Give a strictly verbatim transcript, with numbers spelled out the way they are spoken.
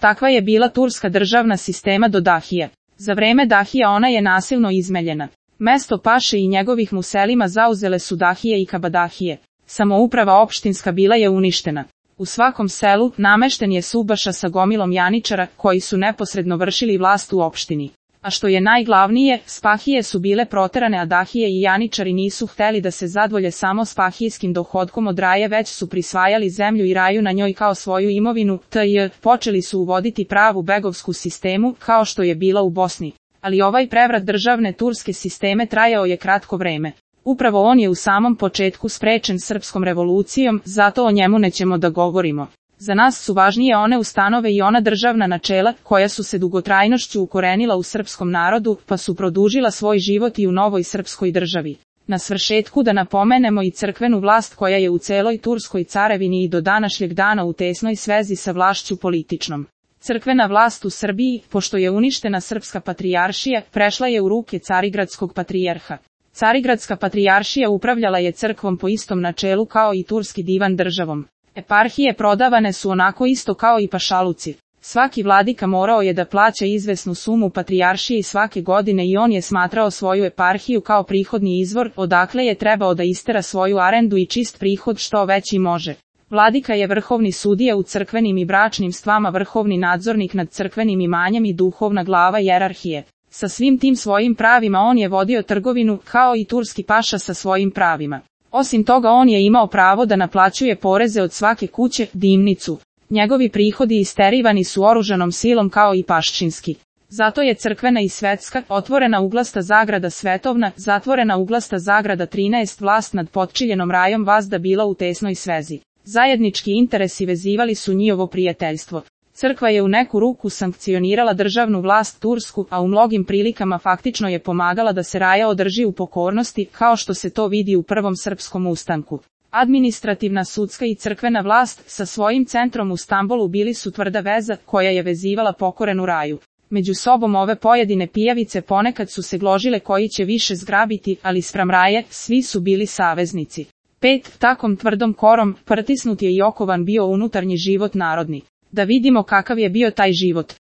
Takva je bila turska državna sistema do Dahije. Za vreme Dahija ona je nasilno izmeljena. Mesto paše i njegovih muselima zauzele su Dahije i Kabadahije. Samouprava opštinska bila je uništena. U svakom selu namešten je subaša sa gomilom janičara koji su neposredno vršili vlast u opštini. A što je najglavnije, spahije su bile proterane, a Dahije i janičari nisu hteli da se zadovolje samo spahijskim dohodkom od raje, već su prisvajali zemlju i raju na njoj kao svoju imovinu, tj. počeli su uvoditi pravu begovsku sistemu, kao što je bila u Bosni. Ali ovaj prevrat državne turske sisteme trajao je kratko vreme. Upravo on je u samom početku sprečen srpskom revolucijom, zato o njemu nećemo da govorimo. Za nas su važnije one ustanove i ona državna načela, koja su se dugotrajnošću ukorenila u srpskom narodu, pa su produžila svoj život i u novoj srpskoj državi. Na svršetku da napomenemo i crkvenu vlast koja je u celoj Turskoj carevini i do današnjeg dana u tesnoj svezi sa vlašću političnom. Crkvena vlast u Srbiji, pošto je uništena srpska patrijaršija, prešla je u ruke carigradskog patrijarha. Carigradska patrijaršija upravljala je crkvom po istom načelu kao i turski divan državom. Eparhije prodavane su onako isto kao i pašaluci. Svaki vladika morao je da plaća izvesnu sumu patrijaršiji svake godine i on je smatrao svoju eparhiju kao prihodni izvor, odakle je trebao da istera svoju arendu i čist prihod što veći može. Vladika je vrhovni sudija u crkvenim i bračnim stvama, vrhovni nadzornik nad crkvenim imanjem i duhovna glava jerarhije. Sa svim tim svojim pravima on je vodio trgovinu, kao i turski paša sa svojim pravima. Osim toga on je imao pravo da naplaćuje poreze od svake kuće, dimnicu. Njegovi prihodi isterivani su oružanom silom kao i paščinski. Zato je crkvena i svetska, otvorena uglasta zagrada svetovna, zatvorena uglasta zagrada trinaest vlast nad potčiljenom rajom vazda bila u tesnoj svezi. Zajednički interesi vezivali su njihovo prijateljstvo. Crkva je u neku ruku sankcionirala državnu vlast tursku, a u mnogim prilikama faktično je pomagala da se raja održi u pokornosti, kao što se to vidi u prvom srpskom ustanku. Administrativna, sudska i crkvena vlast sa svojim centrom u Stambolu bili su tvrda veza koja je vezivala pokorenu raju. Među sobom ove pojedine pijavice ponekad su se gložile koji će više zgrabiti, ali spram raje svi su bili saveznici. Pet, takom tvrdom korom, pritisnut je i okovan bio unutarnji život narodni. Da vidimo kakav je bio taj život.